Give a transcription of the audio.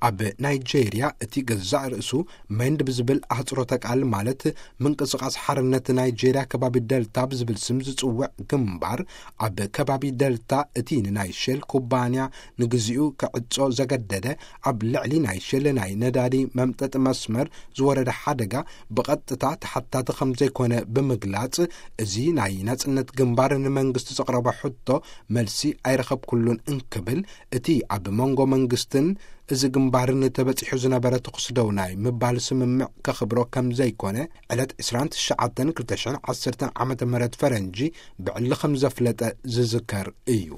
ኣብ ናይጄርያ እቲ ገዛእ ርእሱ ሜንድ ብዝብል ኣህጽሮተ ቃል፣ ማለት ምንቅስቓስ ሓርነት ናይጄርያ ከባቢ ደልታ ብዝብል ስም ዝጽውዕ ግንባር፣ ኣብ ከባቢ ደልታ እቲ ንናይ ሼል ኩባንያ ንግዚኡ ክዕጾ ዘገደደ ኣብ ልዕሊ ናይ ሼል ናይ ነዳዲ መምጠጢ መስመር ዝወረደ ሓደጋ ብቐጥታ ተሓታቲ ከም ዘይኮነ ብምግላጽ፣ እዚ ናይ ናጽነት ግንባር ንመንግስቲ ዘቕረቦ ሕቶ መልሲ ኣይረኸብኩሉን እንክብል፣ እቲ ኣብ መንጎ መንግስትን እዚ ግንባርን ተበጺሑ ዝነበረ ተኹሲ ደው ናይ ምባል ስምምዕ ከኽብሮ ከም ዘይኮነ ዕለት ዕስራን ትሽዓተን ክልተ ሽሕን ዓሰርተን ዓመተ ምህረት ፈረንጂ ብዕሊ ከም ዘፍለጠ ዝዝከር እዩ።